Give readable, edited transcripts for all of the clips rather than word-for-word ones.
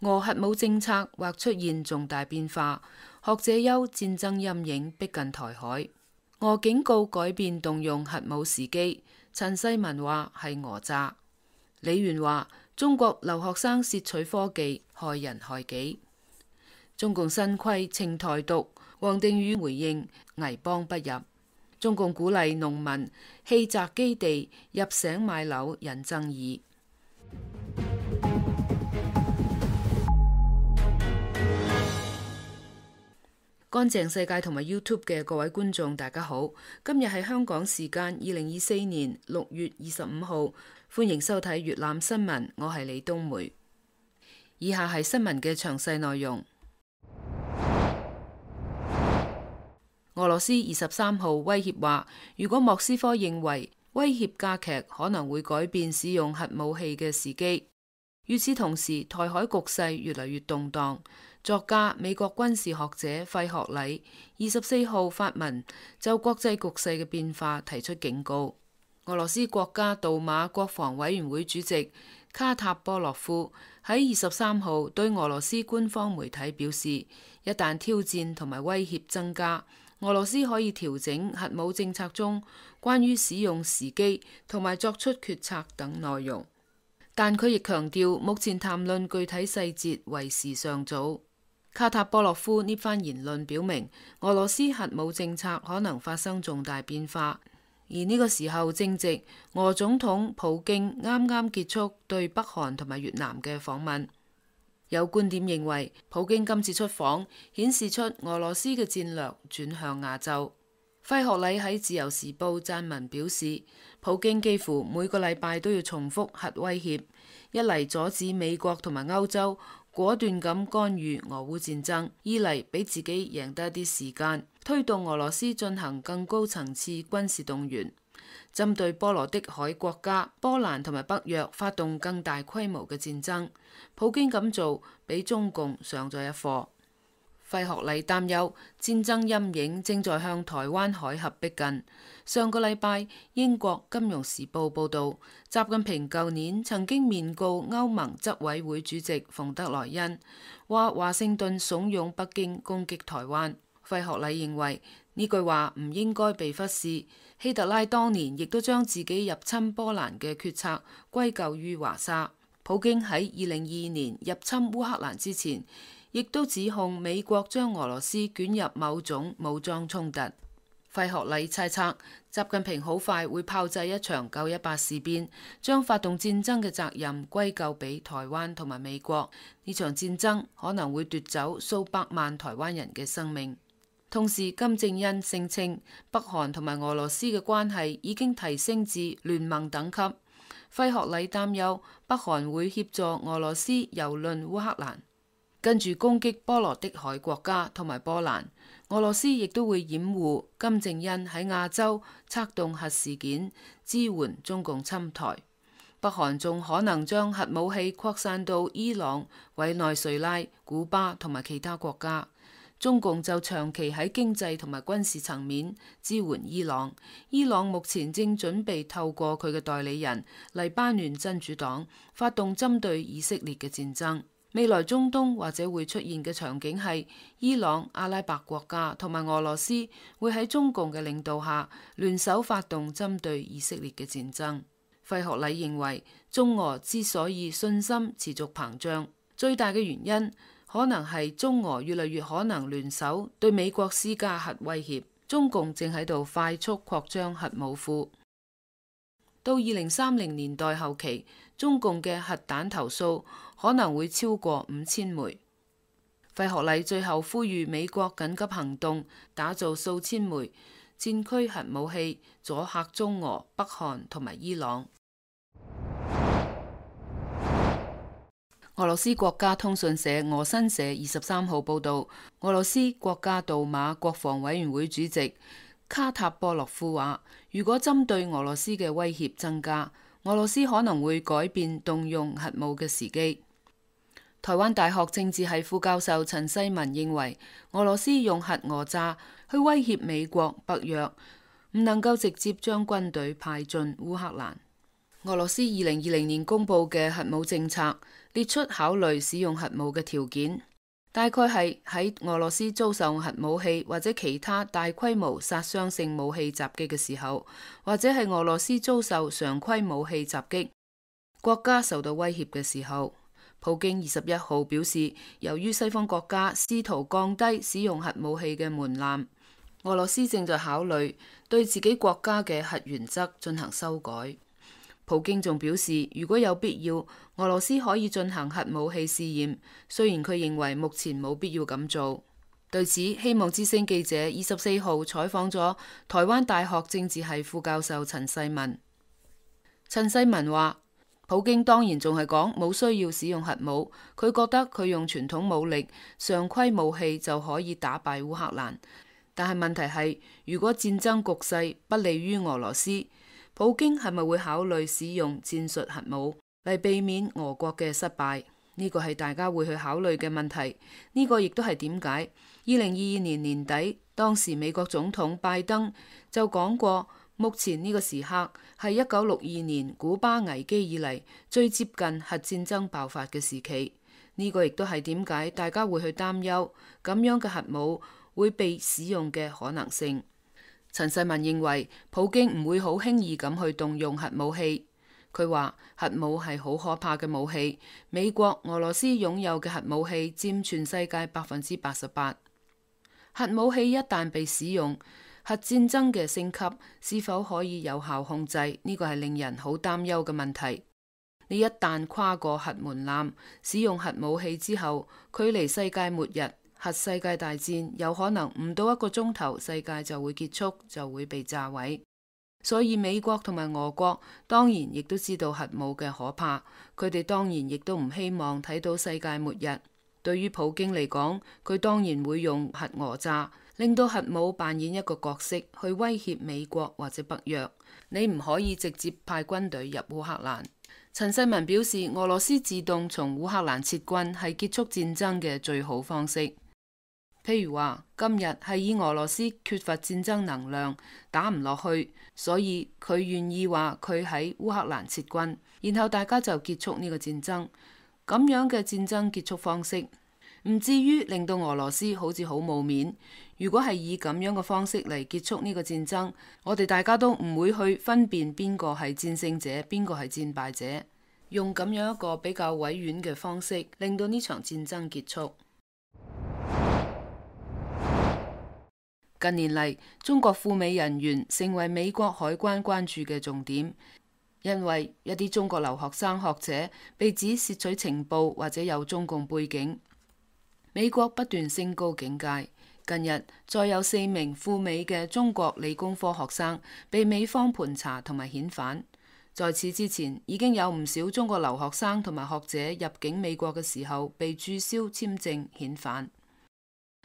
俄核武政策或出現重大變化，學者憂戰爭陰影逼近台海。俄警告改變動用核武時機，陳世文話係訛詐。李源話中國留學生竊取科技，害人害己。中共新規稱台獨，王定宇回應危邦不入。中共鼓勵農民棄宅基地入城買樓，引爭議。乾淨世界同埋 YouTube 嘅各位觀眾，大家好。今日係香港時間2024年6月25號，歡迎收睇粵覽新聞，我係李冬梅。以下係新聞嘅詳細內容。俄羅斯23號威脅話，如果莫斯科認為威脅加劇，可能會改變使用核武器嘅時機。與此同時，台海局勢越嚟越動盪。作家、美國軍事學者費學禮24號發文就國際局勢嘅變化提出警告。俄羅斯國家杜馬國防委員會主席卡塔波洛夫喺23號對俄羅斯官方媒體表示，一旦挑戰同埋威脅增加，俄羅斯可以調整核武政策中關於使用時機同埋作出決策等內容。但佢亦強調，目前談論具體細節為時尚早。卡塔波洛夫呢番言論表明，俄羅斯核武政策可能發生重大變化，而呢個時候正值俄總統普京啱啱結束對北韓同埋越南嘅訪問。有觀點認為，普京今次出訪顯示出俄羅斯嘅戰略轉向亞洲。費學禮喺自由時報撰文表示，普京幾乎每個禮拜都要重複核威脅，一嚟阻止美國同埋歐洲果斷咁干預俄烏戰爭，二嚟俾自己贏得一啲時間，推動俄羅斯進行更高層次軍事動員，針對波羅的海國家波蘭同埋北約發動更大規模嘅戰爭。普京咁做俾中共上咗一課。費學禮擔憂戰爭陰影正在向台灣海峽逼近。上個禮拜，英國金融時報報道，習近平舊年曾經面告歐盟執委會主席馮德萊恩，話華盛頓慫恿北京攻擊台灣。費學禮認為呢句話唔應該被忽視。希特拉當年亦都將自己入侵波蘭嘅決策歸咎於華沙。普京喺2022年入侵烏克蘭之前，亦都指控美國將俄羅斯捲入某種武裝衝突。費學禮猜測，習近平好快會炮製一場918事變，將發動戰爭嘅責任歸咎俾台灣同埋美國。呢場戰爭可能會奪走數百萬台灣人嘅生命。同時，金正恩聲稱北韓同埋俄羅斯嘅關係已經提升至聯盟等級。費學禮擔憂北韓會協助俄羅斯蹂躪烏克蘭，跟住攻擊波羅的海國家同埋波蘭。俄羅斯亦都會掩護金正恩喺亞洲策動核事件，支援中共侵台。北韓仲可能將核武器擴散到伊朗、委內瑞拉、古巴同埋其他國家。中共就長期喺經濟同埋軍事層面支援伊朗。伊朗目前正準備透過佢嘅代理人黎巴嫩真主黨發動針對以色列嘅戰爭。未來中東或者會出現嘅場景係伊朗、阿拉伯國家同埋俄羅斯會喺中共嘅領導下聯手發動針對以色列嘅戰爭。費學禮認為，中俄之所以信心持續膨脹，最大嘅原因可能係中俄越嚟越可能聯手對美國施加核威脅。中共正喺度快速擴張核武庫，到2030年代後期，中共嘅核彈頭數可能會超過5000枚。費學禮最後呼籲美國緊急行動，打造數千枚戰區核武器，阻嚇中俄、北韓同埋伊朗。俄羅斯國家通訊社俄新社23號報道，俄羅斯國家杜馬國防委員會主席卡塔波洛夫話，如果針對俄羅斯嘅威脅增加，俄羅斯可能會改變動用核武嘅時機。台灣大學政治系副教授陳世文認為，俄羅斯用核訛詐去威脅美國、北約，唔能夠直接將軍隊派進烏克蘭。俄羅斯2020年公布嘅核武政策，列出考慮使用核武嘅條件，大概係喺俄羅斯遭受核武器或者其他大規模殺傷性武器襲擊嘅時候，或者係俄羅斯遭受常規武器襲擊，國家受到威脅嘅時候。普京21號表示，由於西方國家試圖降低使用核武器嘅門檻，俄羅斯正在考慮對自己國家嘅核原則進行修改。普京仲表示，如果有必要，俄羅斯可以進行核武器試驗，雖然佢認為目前冇必要咁做。對此，希望之聲記者24號採訪咗台灣大學政治系副教授陳世文。陳世文話，普京當然仲係講冇需要使用核武，佢覺得佢用傳統武力、常規武器就可以打敗烏克蘭。但係問題係，如果戰爭局勢不利於俄羅斯，普京係咪會考慮使用戰術核武嚟避免俄國嘅失敗？呢個係大家會去考慮嘅問題。呢個亦都係點解2022年年底，當時美國總統拜登就講過，目前呢個時刻係1962年古巴危機以嚟最接近核戰爭爆發嘅時期。呢個亦都係點解大家會去擔憂咁樣嘅核武會被使用嘅可能性。陳世文認為普京唔會好輕易咁去動用核武器。佢話核武係好可怕嘅武器，美國、俄羅斯擁有嘅核武器佔全世界88%。核武器一旦被使用，核戰爭嘅升級是否可以有效控制？呢個係令人好擔憂嘅問題。你一旦跨過核門檻，使用核武器之後，距離世界末日、核世界大戰有可能唔到1個鐘頭，世界就會結束，就會被炸毀。所以美國同埋俄國當然亦都知道核武嘅可怕，佢哋當然亦都唔希望睇到世界末日。對於普京嚟講，佢當然會用核訛詐，令到核武扮演一個角色去威脅美國或者北約。你唔可以直接派軍隊入烏克蘭。陳世文表示，俄羅斯自動從烏克蘭撤軍係結束戰爭嘅最好方式。譬如話，今日係以俄羅斯缺乏戰爭能量，打唔落去，所以佢願意話佢喺烏克蘭撤軍，然後大家就結束呢個戰爭。咁樣嘅戰爭結束方式，唔至於令到俄羅斯好似好冇面。如果係以咁樣嘅方式嚟結束呢個戰爭，我哋大家都唔會去分辨邊個係戰勝者，邊個係戰敗者，用咁樣一個比較委婉嘅方式，令到呢場戰爭結束。近年嚟，中國赴美人員成為美國海關關注嘅重點，因為一啲中國留學生學者被指竊取情報或者有中共背景。美國不斷升高警戒，近日再有4名赴美嘅中國理工科學生被美方盤查同埋遣返。在此之前，已經有唔少中國留學生同埋學者入境美國嘅時候被註銷簽證遣返。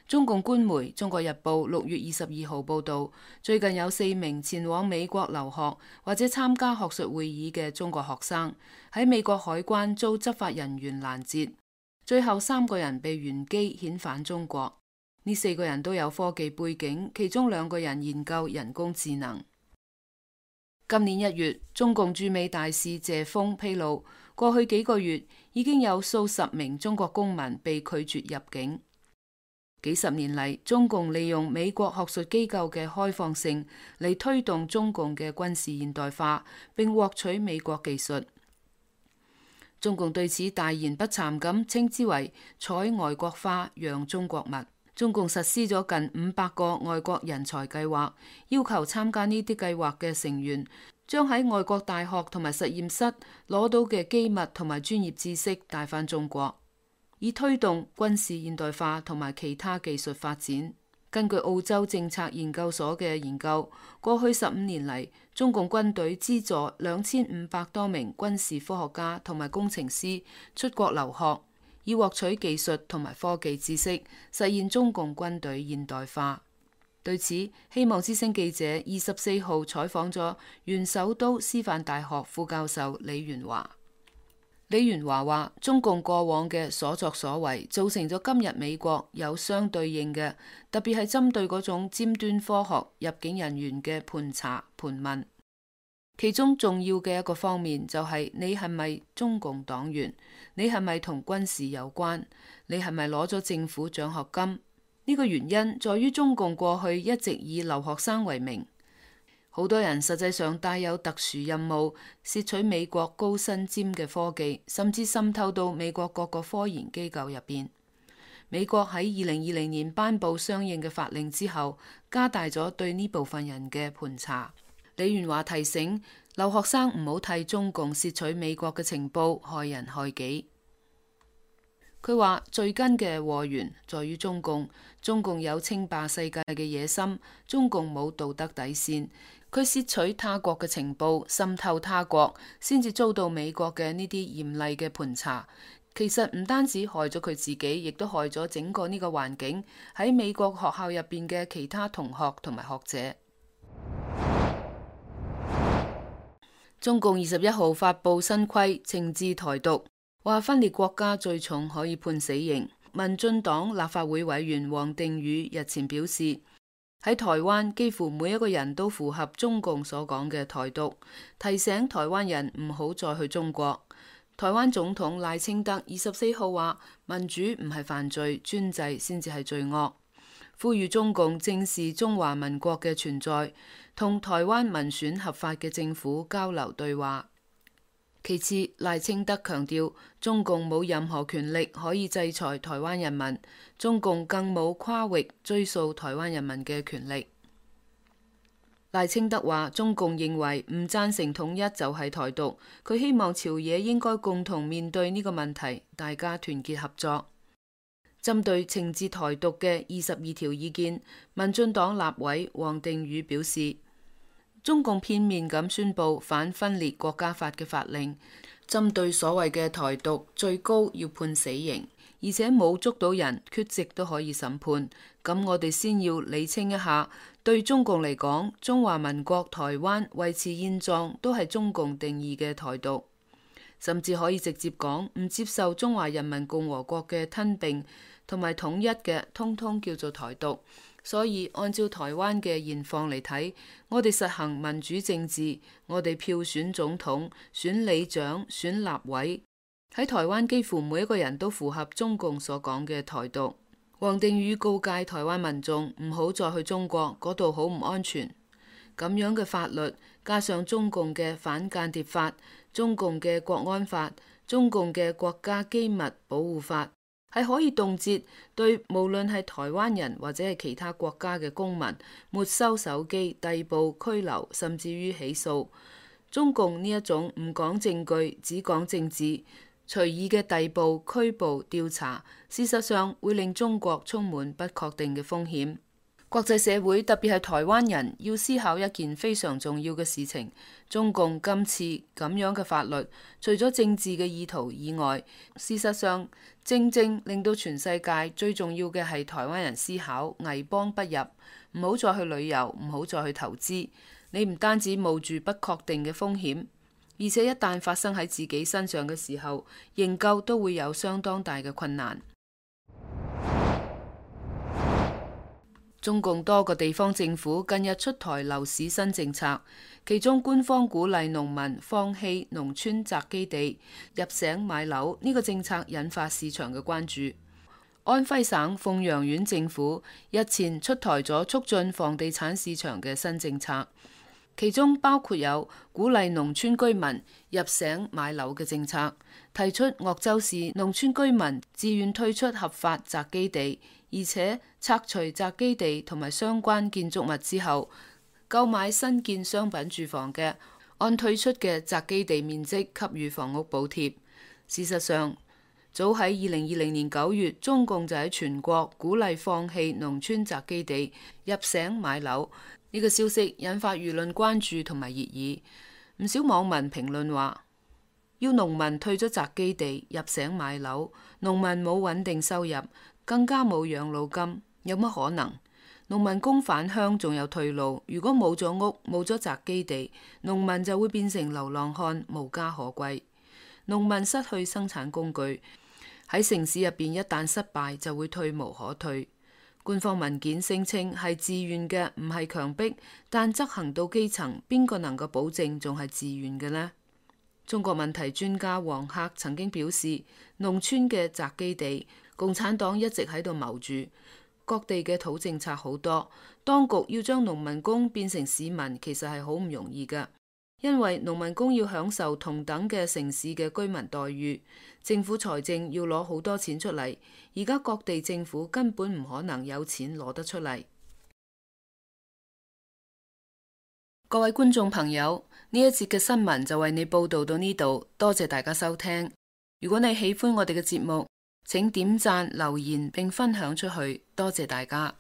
中共官媒《中國日報》6月22號報道，最近有4名前往美國留學或者參加學術會議嘅中國學生喺美國海關遭執法人員攔截，最後3個人被原機遣返中國。呢4個人都有科技背景，其中2個人研究人工智能。今年1月，中共駐美大使謝鋒披露，過去幾個月已經有數十名中國公民被拒絕入境。幾十年嚟，中共利用美國學術機構嘅開放性嚟推動中共嘅軍事現代化，並獲取美國技術。中共對此大言不慚咁稱之為採外國花養中國物。中共實施咗近500個外國人才計劃，要求參加呢啲計劃嘅成員將喺外國大學同埋實驗室攞到嘅機密同埋專業知識帶返中國，以推動軍事現代化同埋其他技術發展。根據澳洲政策研究所嘅研究，過去15年嚟，中共軍隊資助2500多名軍事科學家同埋工程師出國留學，以獲取技術同埋科技知識，實現中共軍隊現代化。對此，希望之聲記者24號採訪咗原首都師範大學副教授李元華。李元華話：中共過往嘅所作所為，造成咗今日美國有相對應嘅，特別係針對嗰種尖端科學入境人員嘅盤查盤問。其中重要嘅一個方面就係你係咪中共黨員，你係咪同軍事有關，你係咪攞咗政府獎學金？呢個原因在於中共過去一直以留學生為名，好多人實際上帶有特殊任務，竊取美國高新尖嘅科技，甚至滲透到美國各個科研機構入邊。美國喺2020年頒布相應嘅法令之後，加大咗對呢部分人嘅盤查。李元華提醒留學生唔好替中共竊取美國嘅情報，害人害己。佢話最根嘅禍源在於中共，中共有稱霸世界嘅野心，中共冇道德底線，佢竊取他國嘅情報，滲透他國，先至遭到美國嘅呢啲嚴厲嘅盤查。其實唔單止害咗佢自己，亦都害咗整個呢個環境，喺美國學校入邊嘅其他同學同埋學者。中共21號發佈新規，懲治台獨，話分裂國家最重可以判死刑。民進黨立法會委員王定宇日前表示，喺台灣幾乎每一個人都符合中共所講嘅台獨，提醒台灣人唔好再去中國。台灣總統賴清德24號話，民主唔係犯罪，專制先至係罪惡，呼籲中共正視中華民國嘅存在，同台灣民選合法嘅政府交流對話。其次，賴清德強調，中共冇任何權力可以制裁台灣人民，中共更冇跨域追溯台灣人民嘅權力。賴清德話，中共認為唔贊成統一就係台獨，佢希望朝野應該共同面對呢個問題，大家團結合作。針對懲治台獨嘅22條意見，民進黨立委王定宇表示，中共片面咁宣布反分裂國家法嘅法令，針對所謂嘅台獨，最高要判死刑，而且冇捉到人缺席都可以審判。咁我哋先要理清一下，對中共嚟講，中華民國台灣維持現狀都係中共定義嘅台獨，甚至可以直接講唔接受中華人民共和國嘅吞併同埋統一嘅，通通叫做台獨。所以按照台灣嘅現況嚟睇，我哋實行民主政治，我哋票選總統、選里長、選立委，喺台灣幾乎每一個人都符合中共所講嘅台獨。王定宇告誡台灣民眾唔好再去中國，嗰度好唔安全。咁樣嘅法律加上中共嘅反間諜法、中共嘅國安法、中共嘅國家機密保護法，係可以動輒對無論係台灣人或者係其他國家嘅公民沒收手機、逮捕、拘留，甚至於起訴。中共呢一種唔講證據，只講政治，隨意嘅逮捕、拘捕、調查，事實上會令中國充滿不確定嘅風險。國際社會，特別係台灣人，要思考一件非常重要嘅事情：中共今次咁樣嘅法律，除咗政治嘅意圖以外，事實上正正令到全世界最重要嘅係台灣人思考危邦不入，唔好再去旅遊，唔好再去投資。你唔單止冒住不確定嘅風險，而且一旦發生喺自己身上嘅時候，營救都會有相當大嘅困難。中共多個地方政府近日出台樓市新政策，其中官方鼓勵農民放棄農村宅基地入城買樓，呢個政策引發市場嘅關注。安徽省鳳陽縣政府日前出台咗促進房地產市場嘅新政策，其中包括有鼓勵農村居民入城買樓嘅政策，提出鄂州市農村居民自願退出合法宅基地，而且拆除宅基地同埋相關建築物之後，購買新建商品住房嘅，按退出嘅宅基地面積給予房屋補貼。事實上，早喺2020年9月，中共就喺全國鼓勵放棄農村宅基地入城買樓，呢個消息引發輿論關注同埋熱議。唔少網民評論話，要農民退咗宅基地入城買樓，農民冇穩定收入，更加冇養老金，有乜可能？農民工返鄉仲有退路，如果冇咗屋，冇咗宅基地，農民就會變成流浪漢，無家可歸。農民失去生產工具，喺城市入邊一旦失敗就會退無可退。官方文件聲稱係自願嘅，唔係強迫，但執行到基層，邊個能夠保證仲係自願嘅呢？中國問題專家王克曾經表示，農村嘅宅基地，共產黨一直喺度謀住，各地嘅土政策好多，當局要將農民工變成市民，其實係好唔容易㗎。因為農民工要享受同等嘅城市嘅居民待遇，政府財政要攞好多錢出嚟，而家各地政府根本唔可能有錢攞得出嚟。各位觀眾朋友，呢一節嘅新聞就為你報道到呢度，多謝大家收聽。如果你喜歡我哋嘅節目，請點讚、留言並分享出去，多謝大家。